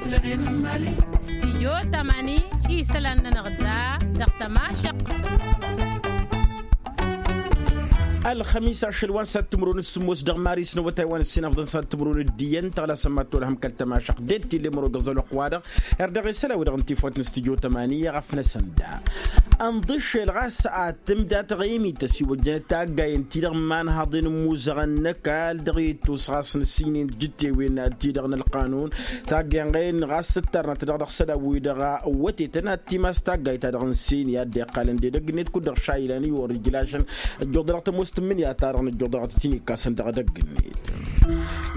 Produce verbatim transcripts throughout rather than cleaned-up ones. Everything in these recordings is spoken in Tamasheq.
Stijyo tamani isălan-nănăɣ da dăɣ-tămašăq. Ălxămis ašăl wa n-sat timǝrwen s-sǝmmos dăɣ-maris n-awătay wa n-ǝssin afḍăn sat timǝrwen d-iyyăn tăɣlasăn ma t-olhăm kăl-tămašăq d-e d-tille mărogăẓ ălwăqq-wa-dăɣ. Erdăɣ i-sălawi dăɣ-n tifwăt n-stijyo tamani i-ɣăf-năsăn da ănḍǝššel ɣas ad-tǝmda taɣimit ăsiwăjjănăt taggayen-ti-dăɣ n-imanhaḍen n-imuzăɣăn n-ăkall dăɣ-ittus ɣas n-ǝssin n-tijǝttewen-ti-dăɣ n-ălqanun. Taggayen-ɣen ɣas ǝttarnăt-dăɣ dăɣ-isălan-wi-dăɣ ăwwătetăn ad-t-imas taggayt-ta-dăɣ n-seni ad-dd-iqqalăn d-edăgg-net kud-dăɣ šayilan i-wăr-ijlašăn. Ăjjuḍănăɣ tămoos tǝmmǝnǝya-ta-dăɣ năjjuḍănăɣ tăt-in-ikkasăn dăɣ-edăgg-net.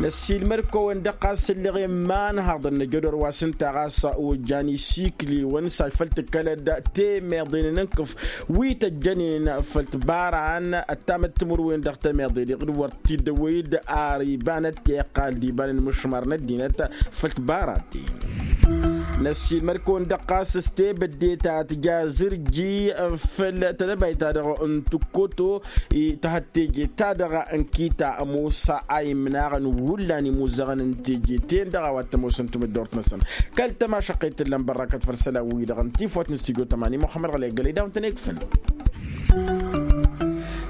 Năssiilmăd-kăwăn-dăɣ ɣas ǝlleɣ i-imanhaḍăn n-ajădor wa s-ǝnta ɣas ojjan isikliwăn s-a-j făl tǝkkălăd temeḍen n-ǝnkǝf wi tăjjănen făll-tibaran ăttamăt timǝrwen dăɣ-temeḍe-dăɣ d-wăr t-dd-ăwwăy d-ar ibanăt iqqal d-ibanăn imǝšmar n-ăddinăt. Făll-tibaran-ti năssiilmăd-kăwăn-dăɣ ɣas s-tebădde ta tǝja zǝrji făll-tedăbayt-ta-dăɣ n-tǝkkoto. Tăhăt teje-ta-dăɣ n-kita ămoos a imnaɣăn hullan imuzăɣăn n-teje-ten-dăɣ a-wa t-ămoosăn timǝddort-năsăn. Kăl-tămašăqqet tǝllan bărrakăt făll-isălan-wi-dăɣ n-tifwăt n-stujo tămani muxămmăd ɣălăy gălăy daw-tăn-ekfăn.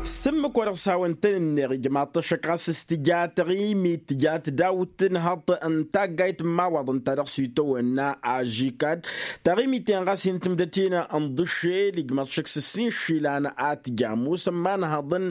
S-ǝmmǝk wa dăɣ-s hawăn-tăn-ǝnneɣ ijmaḍ-t ăššăk ɣas s-tǝja taɣimit tǝja tǝdawt tǝnhăḍt n-taggayt n-imawaḍăn-ta-dăɣ s-itawănna ažikad. Taɣimit-en ɣas hin-tǝmdăt-in ǝnḍǝššel ijmaḍ-t ăššăk s-ǝssin išilan a tǝja ămoosăn imanhaḍăn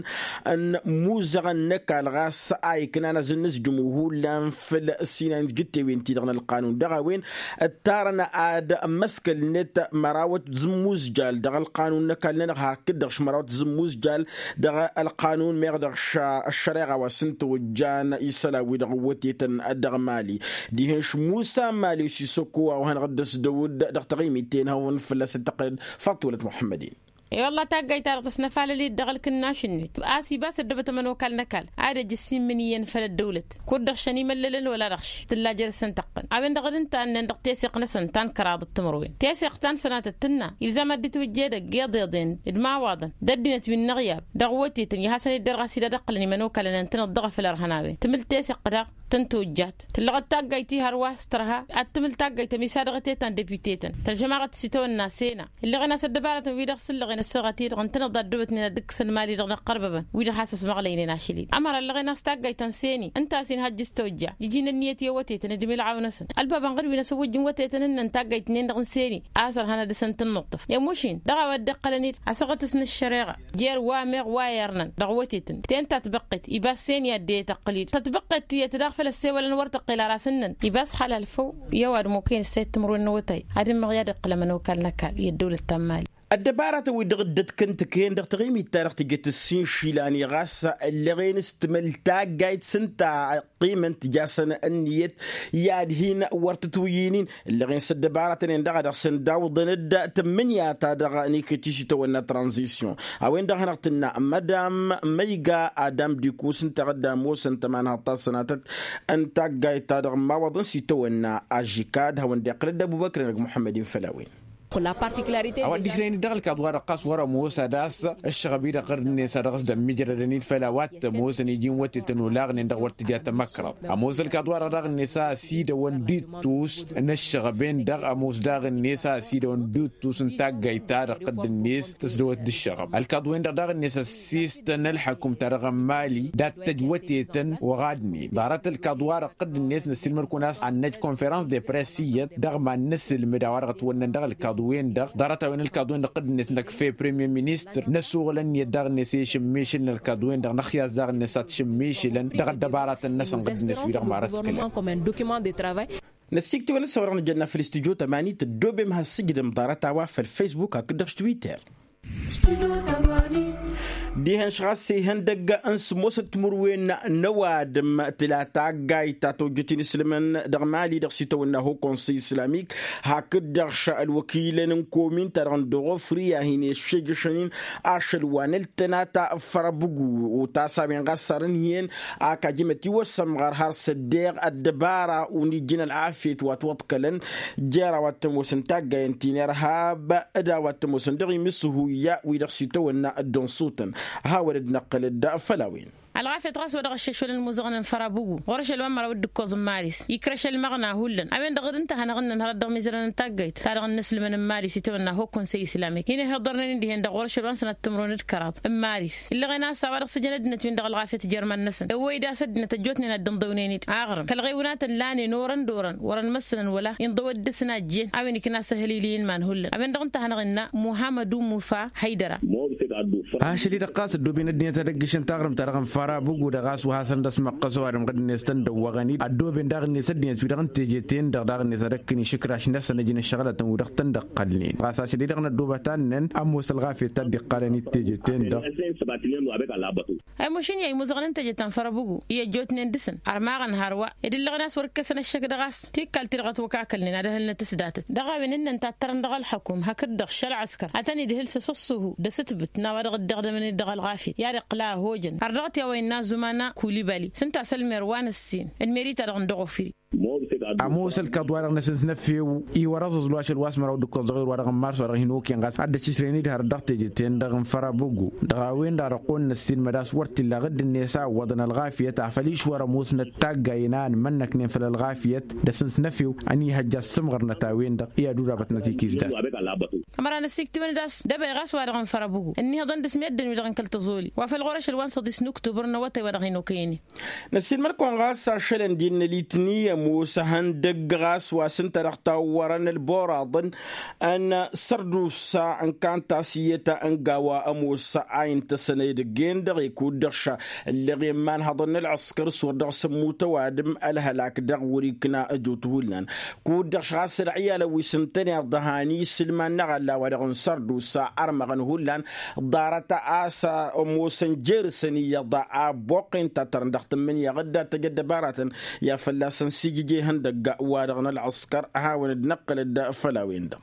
n-imuzăɣăn n-ăkall ɣas a iknan azǝnnǝzjǝm hullan făll-ǝssin a inǝjǝttewen-ti-dăɣ n-ălqanun dăɣ-a-wen ǝttarăn ad-ămmăskălnet mărawăt zǝmmuzjal dăɣ-ălqanun n-ăkall-nănăɣ hakd-dăɣ š-mărawăt zǝmmuzjal dăɣ-ălqanun meɣ dăɣ-š ăššăreɣa wa s-ǝnta ojjan isălan-wi-dăɣ ǝwwătetăn dăɣ-mali. Dihen-š musa mali s-isăkko a-wa hanăɣ-dd-ăsdăwǝd dăɣ-taɣimit-ten hawăn fălla-s dd-tăqqălăd. Faḍt wălăt muḥămmăd-in. E-wălla taggayt-ta-dăɣ tăsnăfalăl-dd dăɣ-ǝlkǝnnaš-net a-s ibas ăddăbăt ămănokal n-ăkall ad-ăj ǝssin imǝnǝyyăn făll-ăddăwlăt kud-dăɣ šăn imăllălăn wăla dăɣ-š tǝlla jer-săn tăqqăn. A-wen-dăɣ d-ǝnta ǝnnăn dăɣ-teseɣt-năsăn ta n-kăraḍăt timǝrwen teseɣt ta n-sănatăt tǝnna. Ilzam ad-dd-itwǝjja edăgg iḍeḍen d-imawaḍăn d-ăddinăt wi n-inăɣyab dăɣ-iwătetăn i-hasăn-dd-derɣas-dd ad-ǝqqǝlăn imănokalăn ǝntăneḍ dăɣ-afăl ărhăn a-wen tǝmǝl teseɣt daɣ tăn-tojjat. Tǝllăɣăt taggayt ti hărwa s-tărha ad-tǝmǝl taggayt ămisadăɣăt i-ta n-deputetăn tălžămaɣăt s-itawănna sena. Ǝlleɣen a-s ăddăbarătăn wi-dăɣ s-ǝllăɣen ăssaɣăt-i-dăɣ ǝntăneḍ d-addăwătnen ad-dd-ǝkkǝsăn mali-dăɣ n-ăqqărbăbăn wi-dăɣ has-ăsmăɣlăynen ašăl-i. Ămăra ǝlleɣen a-s taggayt ta n-seni ǝnta a-s inhăjj s-tojja iji n-ǝnniyăt i-awătetăn d-imilɣaw-năsăn. Ălbabăn ɣǝd wi n-asăwwăjj n-iwătetăn ǝnnăn taggayt-nin-dăɣ n-seni a-s ărhan ad-dăr-săn tǝnnuṭṭăf i-mušin dăɣ-a-wa dd-iqqălăn-dd asăɣătăs n-ăššăreɣa. Jer-wa meɣ wa irnăn dăɣ-iwătetăn ten tatbăqqet ibas seni ad-dd-e-tăqqǝl-dd tatbăqqet tiyyăt daɣ făl ăssewălăn wăr tăqqel ar asǝnnăn. Ibas xalal făw i-ăwadǝm okăyăn ǝssayăt timǝrwen n-awătay ad-ǝmmăɣ i-ad-iqqǝl ămănokal n-ăkall i-ăddăwlăt ta n-mali. Ăddăbaratăn-wi-dăɣ dd-ătkăn tǝkăyăn dăɣ-taɣimit-ta-dăɣ tǝjăt ǝssin išilan i-ɣas ǝlleɣen s-tǝmǝl taggayt s-ǝnta ăqqimăn tǝja-săn ǝnniyăt i-ad-hin-wăr tǝtwǝyyǝynin. Ǝlleɣen s-ăddăbaratăn-en-dăɣ a dăɣ-săn dawǝḍăn-dd tǝmmǝnǝya-ta-dăɣ n-iket-i s-itawănna tranzisyon. A-wen-dăɣ hanăɣ-tǝnna mădam măyga adam dikus ǝnta ad-ămoosăn tămanhăḍt ta s-sănatăt n-taggayt-ta-dăɣ n-imawăḍăn s-itawănna ažikad hawăn-dd-iqqǝl dd-ăbubăkr-enăg muḥămmăd-in făll-a-wen. A-wa dd-ikrăyăn-dd dăɣ-ălkaḍ-wa-dăɣ ɣas wăr-ămoos ad-ass ăššăɣăb-i-dăɣ ɣǝrd-net a dăɣ-s dd-ămmiijrădăn-dd făll-a-wa t-ămoosăn iji n-wătetăn olaɣnen-dăɣ wăr tǝja tamăkrăḍt. Ămoos ălkaḍ-wa-dăɣ daɣ-net a ăsidăwăn d-ittus n-ăššăɣăb-en-dăɣ ămoos daɣ-net a ăsidăwăn d-ittus n-taggayt-ta-dăɣ ɣǝdd-net tǝsdăwăt d-ǝššăɣăb ălkaḍ-wen-dăɣ daɣ-net ăssiistăn ălḥăkum-ta-dăɣ n-mali dat-tăj wătetăn. Oɣadnen ḍarăt ălkaḍ-wa-dăɣ ɣǝdd-net năssiilmăd-kăwăn a-s ad-năj konferăns de press iyyăt dăɣ-iman n-asǝlmǝd a-wa-dăɣ ătwănnăn dăɣ-ălkaḍu-wen-dăɣ ḍarăt-a-wen ălkaḍu-wen-dăɣ ɣǝdd-net năkf i-premier ministăr n-ăsuɣǝl ǝnniyăt daɣ-net i-išǝmmišǝl n-ălkaḍu-wen-dăɣ năxyas daɣ-net ad-t-išǝmmišǝlăn dăɣ-ăddăbaratăn-năsăn ɣǝdd-net wi-dăɣ marăt kălăn. Năssiiktǝwăn ăssăwăr-dăɣ nǝjănna făll-istudyo tămani tăddoobem has-sǝjdăm ḍarăt-a-wa făll-facebook hakd-dăɣ s-twitter. Dihen-š ɣas ihăndăgg n-sǝmmosăt timǝrwen n-ăwadǝm tǝla taggayt ta tojjăt inǝslǝmăn dăɣ-mali dăɣ-s itawănna ho konsăy islamik hakd-dăɣ š-ălwăkilăn n-komin-ta-dăɣ n-dăɣ-ofri a hin-ăššejăšăn-in ašăl wa n-ăltănata făr-abǝgu. Otas a-wen ɣas sarăn hi-en ak ajǝm ătiwăssămɣăr har s-ăddeɣ ăddăbara unijjăn ălɣafyăt wa t-wăḍkălăn jer-a-wa t-ămoosăn taggayen ti n-irhab d-a-wa t-ămoosăn dăɣ-imǝshuya wi-dăɣ s-itawănna dd-ănṣutăn. Hawăn-dd-năqqǝl-dd făll-a-wen. Ălɣafyăt ɣas wa dăɣ-ăššăšwălăn imuzăɣăn n-fărabugu ɣur-ašăl wa n-măraw d-ǝkkoẓ n-maris ikrăš ălmăɣna hullan a-wen-dăɣ d-ǝnta a hanăɣ-ǝnnăn hărăt dăɣ-mizărăn n-taggayt ta dăɣ-nǝslǝmăn n-maris itawănna hokk konsey islamik hin-ihiḍărnen-in dihen-dăɣ ɣur-ašăl wa n-sănat timǝrwen d-kăraḍ n-maris illăɣen a-s a-wa dăɣ-sǝjăn ăddinăt-win-dăɣ ălɣafyăt jer-iman-năsăn ăwwăy-dd a-s ăddinăt ăjjootnen ad-dd-ǝnḍăwnen-dd aɣrǝm kăl-iɣewnatăn lanen orăn d-orăn wăr-ănmăssănăn wăla inḍăwăt dăɣ-săn a ăjjeen a-wen ikna s-ehălil i-ilman hullan a-wen-dăɣ ǝnta a hanăɣ-innă muhammăd ummufa hăydăra. Ašăl-i-dăɣ ɣas ăddooben ăddinăt ad-ăggǝšăn taɣrǝmt ta dăɣ-nǝfara bǝgu-dăɣ a-s wa hasăn-dd-ăsmăqqăs ăwadǝm ɣǝd-net tăn-dăwwăɣăn-dd ăddooben daɣ-net ăddinăt-wi-dăɣ n-teje-ten-dăɣ daɣ-net ad-ăkkǝn išǝkraš-năsăn ăjǝn ăššăɣǝlătăn wi-dăɣ tăn-dd-ăqqălnen ɣas ašăl-i-dăɣ n-ăddoobăt annăn ămoos ălɣafyăt ta dd-iqqalăn-dd teje-ten-dăɣ. Ămošăn i-a imuzăɣăn n-teje ta n-fărăbugu i-ăjjootnen dăɣ-săn ărmaɣăn hărwa ed ǝllăɣăn a-s wăr-ǝkkăsăn ăššăk dăɣ-a-s tikkal-ti-dăɣ ătwăkakălnen ad-ăhǝlnăt s-datăt dăɣ-a-wen ǝnnăn tattărăn dăɣ-ălxăkum hakd-dăɣ šălɣăskăr ad-tăn-idhǝl s-asǝssuhu d-asǝtbǝt n-a-wa dăɣ-dd-iɣdămăn-dd dăɣ-ălɣafyăt i-ad-iqqǝla ăhojăn har dăɣ-t i-a-wa innă zumana kulibali s-ǝnta a-s ălmer wa n-ăssin ălmeri-ta-dăɣ n-dăɣ-ofǝri. Ămoos ălkaḍ-wa-dăɣ n-asǝnsnăfew iwărăẓăẓ luašăl wa s-măraw d-ǝkkoẓ dăɣ-i wăr-wa dăɣ-n mars wa dăɣ-hin-okăyăn ɣas ad-dd-ăššǝšrăyăn-dd hărăt dăɣ-teje-ten-dăɣ n-fărăbăgu dăɣ-a-wen-dăɣ dăɣ-qon n-ăssin mădas wăr t-illa ɣǝdd-net a ǝwwăḍăn ălɣafyăt afăl išwăr ămoosnăt taggayen a ănmănnăknen făll-ălɣafyăt d-asǝnsnăfew ănihăjja ăssǝmɣărnăt a-wen-dăɣ i-ad-udabătnăt ikiš dat. Ămăra n-ăsiktiwăn-dd a-s dăbăy ɣas wa dăɣ-n fărăbăgu ǝnnihăḍăn dăɣ-s meddǝn-wi-dăɣ n-kăl-tăẓoli wa făl ɣur-ašăl wa n-săḍis n-uktubăr n-awătay wa dăɣ-hin-okăyăn-in. Năssiinmăr-kăwăn ɣas ašălăn d-innă litni ămoos ehăndăgg ɣas wa s-ǝnta dăɣ-tawwărăn ălboraḍăn n-sărdusa n-kanta s-iyyăt n-gawa ămoos a intăsăn edăgg-en-dăɣ ikud-dăɣ ša ǝlleɣ i-imanhăḍăn n-ălɣǝskăr s-wăr dăɣ-s ămmut ăwadǝm ălhălak dăɣ-wăr-ikna ăjut hullan kud-dăɣ š-ɣas ălɣiyalăn wi s-ǝntăneḍ han isǝlman n-aɣălla wa dăɣ-n sărdusa ărmăɣăn hullan ḍarăt a-s ămoosăn jer-săn iyyăḍ a ăbboqqen tattărăn dăɣ-tǝmmǝnǝya ɣǝdda tăj ăddăbaratăn i-ad-fălla-săn s-ijǝj ihăndăgg wa-dăɣ n-ălɣǝskăr ad-hawăn-dd-năqqǝlăd făll-a-wen-dăɣ.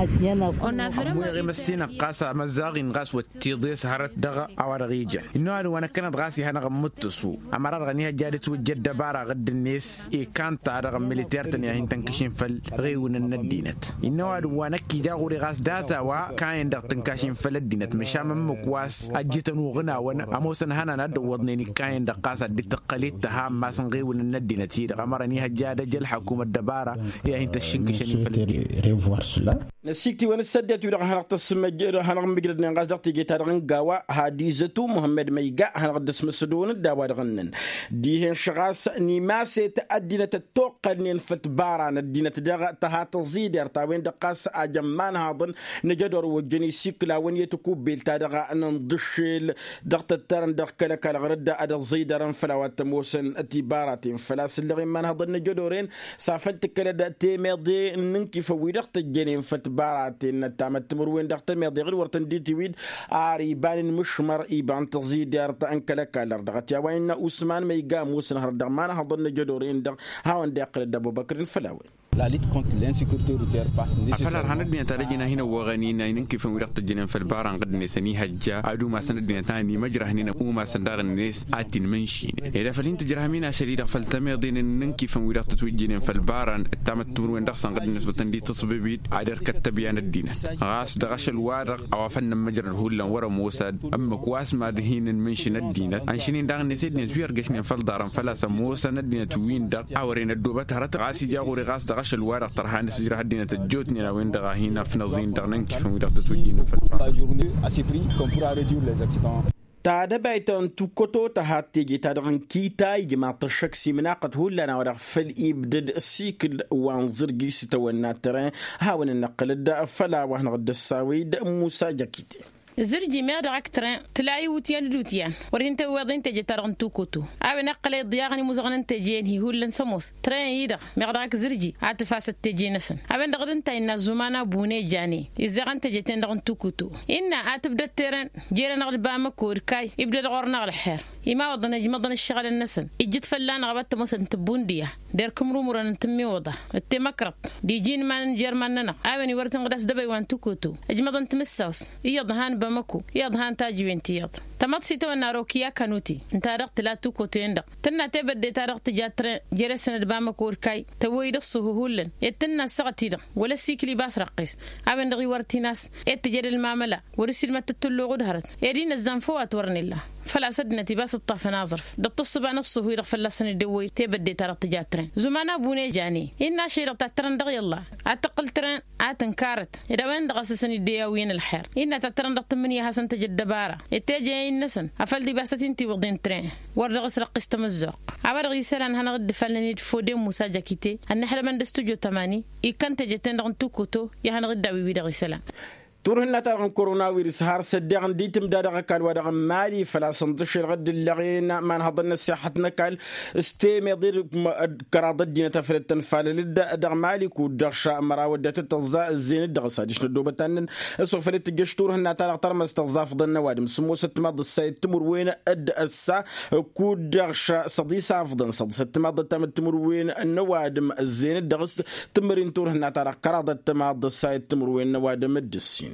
Ămmuyeɣ i-măssinăɣ ɣas amăzzaɣ-in ɣas wăt tiḍes hărăt dăɣ-a-wa-dăɣ ijăn innă ăwadǝm wa năkkăneḍ ɣas ihănăɣ ǝmmǝttǝsu ămăra-dăɣ ănihăjja ad-ǝtwǝjja ăddăbara ɣǝdd-net i-kanta dăɣ-militer-tăn i-ad-hin-tănkăšin făll-ɣiwǝnăn n-ăddinăt innă ăwadǝm wa năkk ija ɣur-i ɣas data wa kayen-dăɣ tǝnkašin făll-ăddinăt măšan ǝmmǝk wa s-ăjjǝtăn uɣǝnawăn ămoosăn hănan ad-dd-ăwwăḍnen ikkayen-dăɣ ɣas ad-dd-tăqqăl i-ǝttăha n-imass n-ɣiwǝnăn n-ăddinăt-i-dăɣ ămăra ănihăjja ad-ăj ălxăkum ăddăbara i-ad-hin-tăššǝnkǝšăn-in făll-ăddinăt. Năsiktǝwăn s-ăddinăt-wi-dăɣ hanăɣ-tăsmăj hanăɣ-mǝjrădnen ɣas dăɣ-teje-ta-dăɣ n-gawa hadizătu muhămmăd măyga hanăɣ-dd-ăsmăsădăwăn-dd a-wa-dăɣ ǝnnăn dihen šăɣas n-imaset ăddinăt ăttoqqălnen făll-tibara n-ăddinăt dăɣ-tăha tăẓidert a-wen-dăɣ ɣas ajăn imanhaḍăn nǝjădor wăjjăn isikǝlawăn i-tikubbelt-ta-dăɣ n-inḍǝššel dăɣ-tăttărăn dăɣ-kăl-ăkall ɣur-dd ad-ăẓidărăn făll-a-wa t-ămoosăn tibaraten făl-a-s ǝllăɣ imanhaḍăn nǝjădoren s-afăl tǝkkălăd temeḍe n-inǝnkifăn wi-dăɣ tăjjănen făll-tibaraten n-ăttamăt timǝrwen dăɣ-temeḍe ɣǝd wăr tăn-dd-itiwid ar iba n-inmǝšmăr iba n-tăẓidert n-kăl-ăkall ărdăɣăt i-a-wa innă usman ma iga ămoosăn hărăt dăɣ-imanhaḍăn nǝjădoren-dăɣ hawăn-dd-iqqǝlăd d-abubăkr n-făll-a-wen. Afăl ărhan ăddinăt ad-ăjǝn a hin-ăwwăɣăn-in a inǝnkifăn wi-dăɣ tăjjănen făll-bara n-ɣǝdd-net ănihăjja ad-umasăn ăddinăt a ănimăjrăhnen umasăn daɣ-net ad-t-inmǝnšinen ed afăl hin-tǝjrăhăm-in ašăl-i-dăɣ făll-tămeḍen n-inǝnkifăn wi-dăɣ tătwǝjjǝnen făll-bara n-ăttamăt timǝrwen dăɣ-săn ɣǝdd-net wăr tăn-dd-tǝṣbǝb-dd ad-irkăt tăbya n-ăddinăt ɣas dăɣ-ašăl-wa-dăɣ a-wa făl nǝmmăjrăd hullan wăr-ămoos ad-ǝmmǝk wa s-mad-hin-ǝnmǝnšǝn ăddinăt ănšǝn-in daɣ-net ăddinăt wi ărgăšnen făll-iḍarăn făl-a-s ămoosăn ăddinăt-win-dăɣ a wăren ăddoobăt hărăt ɣas ija ɣur-i ɣas dăɣ-ašăl-wa-dăɣ tărha n-asǝjrăh ăddinăt ăjjootnen a-wen-dăɣ a hin-ăfnăẓ-in dăɣ-inǝnkifăn wi-dăɣ tătwǝjjǝynen făll-iḍarăn. Tadăbayt ta n-tukkoto tăhat teje-ta-dăɣ n-kita ijmaḍ-t ăššăk s-imnaqăt hullan a-wa-dăɣ făl ibdăd ăsikǝl wa n-zǝrji s-itawănna tren hawăn-ănnăqqǝlăd făll-a-wa hanăɣ-dd-ăssawăy d-musa jăkite. Zǝrji meɣ dăɣ-ak tren tǝla iwǝtyan d-iwǝtyan wăr hin-tăwweḍ i n-teje-ta-dăɣ n-tukutu a-wen ăqqălăy iḍyaɣăn imuzăɣăn n-teje-en hi-hullan s-ămoos tren-i-dăɣ meɣ dăɣ-ak zǝrji ad-tǝfasăt teje-năsăn a-wen-dăɣ d-ǝnta innă ăzzumana bune jane izzeɣăn teje-ten-dăɣ n-tukutu innă ad-tǝbdăd terăn jer-anăɣ d-bamăko d-kay ibdăd ɣur-năɣ ălxer imawăḍăn ăjmăḍăn ǝššăɣǝlăn-năsăn ijjǝt fălla-năɣ a-wa t-ămoosăn tǝbbundǝya d-erk ǝmrumurăn n-tǝmmiwăḍa d-temăkrăḍt d-iji n-iman n-jer-iman-nănăɣ a-wen iwărăt inɣǝd a-s dăbăy wa n-tukutu ǝjmăḍăn timǝssaws iyyăḍ han bamăko iyyăḍ han tajǝwen tiyyăḍ tămăḍt s-itawănna rokiya kanuti ǝnta-dăɣ tǝla tukutu-en-dăɣ tǝnna tebădde-ta-dăɣ tǝja tren jer-esăn d-bamăko d-kay tăwwăy-dd ăṣṣuhu hullan ed tǝnna ăssaɣăt-i-dăɣ wăla ăsikli ba s-răqqis a-wen-dăɣ iwărăt-in a-s ed tǝjăd ălmamăla wăr-ǝssilmăd tǝttǝlluɣu d-hărăt ed inăzzan făw a t-wărăn illa. făl-a-s ăddinăt ibas ǝṭṭafăn aẓrǝf dăɣ-tǝssǝba n-ăṣṣuhu-i-dăɣ fălla-săn dd-ewwăy tebădde-ta-dăɣ tǝja tren. Zuman abune jane innă ašăl-i-dăɣ tattărăn dăɣ-iyyălla ad-tăqqǝl tren ad-tǝnkarăt ed a-wen-dăɣ a-s ăsăn-dd-e-awǝyăn ălxer. Innă tattărăn dăɣ-tǝmmǝnǝya a hasăn-tăj ăddăbara ed teje innăsăn afăl d-ibas a t-in-tiwǝḍen tren wăr dăɣ-s răqqis tamǝzzuɣt. A-wa dăɣ-isălan hanăɣ-dd-ifalnăn-dd fode n-musa jakite ănnăḥlămăn d-studyo tămani. Ikkăn teje-ten-dăɣ n-tukoto i-ad-hanăɣ-dd-awǝy wi-dăɣ isălan. Turhǝnna-ta-dăɣ n-korona wirǝs har s-ăddeɣ n-ditǝmda dăɣ-ăkall-wa-dăɣ n-mali făl-a-s ǝnḍǝššel ɣǝdd ǝllăɣen ma n-hăḍăn n-ăssixăt n-ăkall s-temeḍe d-kăraḍ ăddinăt afăl dd-tănfalăl-dd dăɣ-mali kud-dăɣ šamăraw ăddinăt tăẓẓa ǝzzeyăn-dd dăɣ-s adiš n-ăddoobăt annăn s-wa făl dd-tǝjjăš turhǝnna-ta-dăɣ tărmăst tăẓẓa afḍăn n-ăwadǝm sǝmmosăt timaḍ d-ǝssa i-dd-timǝrwen d-ăssa kud-dăɣ šăḍisafḍăn săḍisăt timaḍ d-ăttam d-timǝrwen n-ăwadǝm ǝzzeyăn-dd dăɣ-s tǝmmări n-turhǝnna-ta-dăɣ kăraḍăt timaḍ d-ǝssa i-dd-timǝrwen n-ăwadǝm d-ǝssin.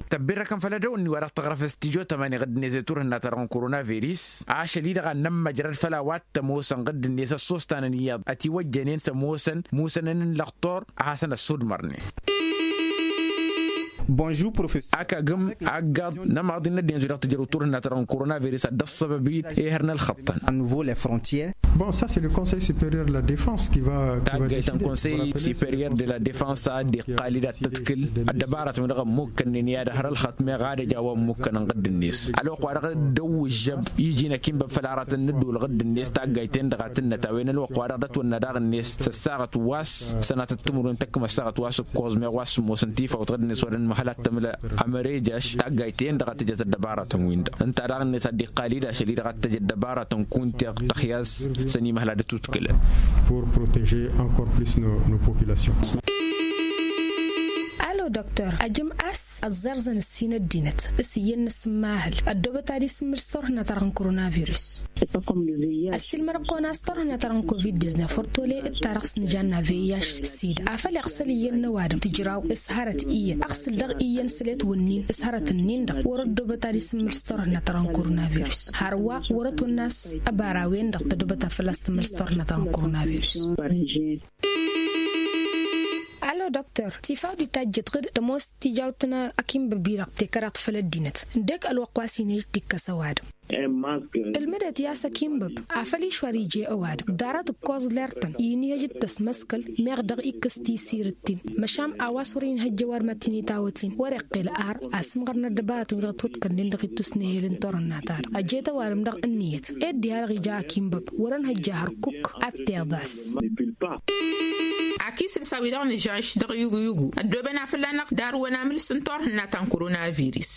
Tăbbirrăkăn făll-edăw ǝnni-wa-dăɣ tăɣrăf s-tijo tămani ɣǝdd-net i-turhǝnna-ta-dăɣ n-korona viris ašăl-i-dăɣ ad-nămmăjrăd făll-a-wa t-ămoosăn ɣǝdd-net ăssostanăn iyyăḍ ătiwăjjănen s-ămoosăn musănăn n-lăxtor a hasăn-ăssudmărnen. Bonjour professor. Akagǝm aggaḍ n-ămaḍi n-ăddinăt wi dăɣ-tǝjrăw turhǝnna-ta-dăɣ n-korona viris ad-dd-ăṣṣăbăb-i ehăr n-ălxăṭṭăn. Bon, ça c'est le conseil supérieur de la défense qui va. Taggayt n-conseil supérieur de la défense a dd-iqqal-dd ad-tǝḍkǝl ăddăbaratăn wi dăɣ-ămmukkănnen i-ad-hărălxăt meɣ ad-ăj a-wa ămmukkănăn ɣǝdd-net ălwăqq wa dăɣ-dd-ăwwǝžžăb iji n-ăkinbăb făll-aratăn n-ădduul ɣǝdd-net taggayt-en-dăɣ a tǝnnăt a-wen ălwăqq wa dăɣ-dd-ătwănna daɣ-net s-ăssaɣăt wa s-sănatăt timǝrwen tăkkăm ăssaɣăt wa s-ǝkkoẓ meɣ wa s-ămoosăn tifawt ɣǝdd-net wa dăɣ-nǝmhăl ad-tămla. Ămărejăš taggayt-en-dăɣ a tǝjăt ăddăbaratăn-win-dăɣ ǝnta daɣ-net a dd-iqqal-dd ašăl-i-dăɣ ad-tăj ăddăbaratăn kunteɣ tăxyas s-ănimăhla d-atutkǝlăn. Pour protéger encore plus nos populations. Alo dăktăr ajǝm a-s ăẓẓerẓăn ǝssin ăddinăt s-iyyăn n-asǝmmahǝl ăddoobăt ad-isǝmmǝl s-turhǝnna-ta-dăɣ n-koronavirus. Ăssiilmăd ăqqonas turhǝnna-ta-dăɣ n-covid-diznef wăr tole d-ta-dăɣ s-nǝjanna vih s-sida afăl iɣsăl iyyăn n-ăwadǝm tǝjraw s-hărăt iyyăn ăɣsǝl dăɣ-iyyăn s-let wǝnnin s-hărăt-ǝnnin-dăɣ wăr-ăddoobăt ad-isǝmmǝl s-turhǝnna-ta-dăɣ n-koronavirus hărwa wăr-ătwănna a-s ăbara-wen-dăɣ tădobăt ad-fălla-s tǝmmǝl s-turhǝnna-ta-dăɣ n-koronavirus. Alo dăktăr tifaw d-itajjăt ɣǝd tămoos tijawt n-akinbăbi-dăɣ tekăraḍt făll-ăddinăt ǝndek ălwăqq wa s-inhǝj tikkăs ăwadǝm. Ǝlmǝdăt i-a-s akinbăb afăl išwar ije ăwadǝm ḍarăt ǝkkoẓ lertăn inhǝj d-tăsmăskăl meɣ dăɣ-ikkǝs tisirǝt-tin măšan a-wa s-wăr-inhăjj ăwadǝm ad-t-initawăt-in wăr-iqqel ar asǝmɣăr n-ăddăbarătăn wi dăɣ-twǝḍkănnen dăɣ-ittus n-ehel n-turhǝnna-ta-dăɣ ăjjet ăwadǝm dăɣ-ǝnniyăt ed diha-dăɣ ija akinbăb wăr-ănhăjja hărkuk ad-t-iḍas. Akisǝlsa wi-dăɣ nǝžaš dăɣ-iyugu-iyugu ăddooben a fălla-năɣ darǝwăn amǝls n-turhǝnna ta n-koronavirus.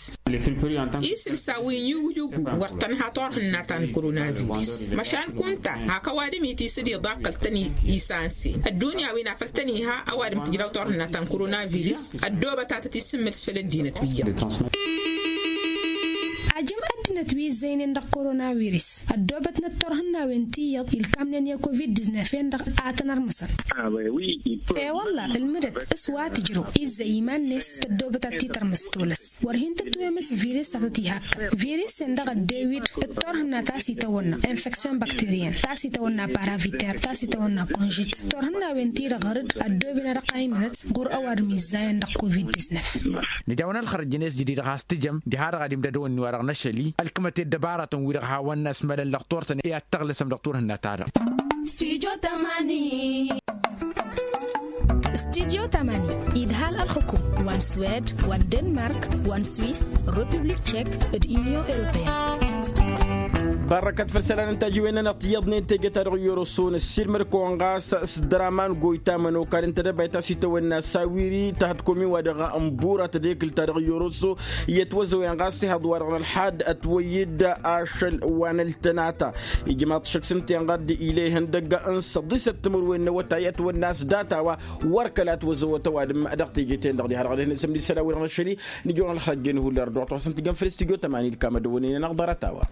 Isǝlsa wi n-iyugu-iyugu wăr tănha turhǝnna ta n-koronavirus măšan kunta hak ăwadǝm itisǝd iḍaqqăl-tăn isansen ăddunya wi n-afăl tăn-iha ăwadǝm tǝjraw turhǝnna ta n-koronavirus ăddoobăt ad-tăt-isǝmmǝl s-făll-ăddinăt wi iyyăḍ. Ajǝm ăddinăt wi ǝzzăynen dăɣ-koronavirus ăddoobătnăt turhǝnnawen ti iyyăḍ ilkamnen i-covid-diznef-en-dăɣ a tăn-ărmǝsăn. E-wălla ǝlmǝdăt s-wa tǝjrăw izzăy iman-net tăddoobăt ad-t-tărmǝs tolăs wăr hin-tǝtwemǝs virus ta tăt-ihakkăn virus-en-dăɣ ăddewid d-turhǝnna ta s-itawănna infection bakteriyăn ta s-itawănna paraviter ta s-itawănna konžit turhǝnnawen-ti-dăɣ ɣăr-dd ăddooben ad-dăɣ-a imrăt ɣur-ăwadǝm izzayăn dăɣ-covid-diznef. Nǝjawăn ălxărăj-net jadid ɣas tǝjăm diha-dăɣ ad-imdădăw ǝnni-wa-dăɣ n-ašăl-i ălkǝmăt i-ăddăbarătăn-wi-dăɣ hawăn-asmălăn lăxtur-tăn i-ad-tăɣlǝsăm dăɣ-turhǝnna-ta-dăɣ. Studyo tămani idhal ălxǝkum wa n-swed wa n-denmark wa n-swis republik tšek d-union europeyăn. Barrăkăt făll-isălan n-tajiwen-nănăɣ tiyyăḍnen teje-ta-dăɣ i-oroso năssiilmăd-kăwăn ɣas s-dăraman goyta mănokal n-tedăbayt ta s-itawănna sawiri ta hătkomin wa dăɣ-n bura tedekǝlt-ta-dăɣ i-oroso i-ătwăzăwen ɣas ihăḍ wa dăɣ-nălḥad ătwăyyǝd ašăl wa n-ăltănata ijmaḍ šăkk s-ǝnta-en ɣad ila ihăndăgg n-săḍisăt timǝrwen n-awătay ătwănna s-data-wa wăr kăla ătwăzăwăt ăwadǝm dăɣ-teje-ten-dăɣ diha-dăɣ ad-hin-asǝmdǝy isălan-wi-dăɣ n-ašăl-i. Nǝjăwăn ălxăjjăn ihullan d-wa t-wa-săn-tǝjjăn făll-studyo tămani d-kamădăwăn-in-anăɣ ḍarăt-a-wa.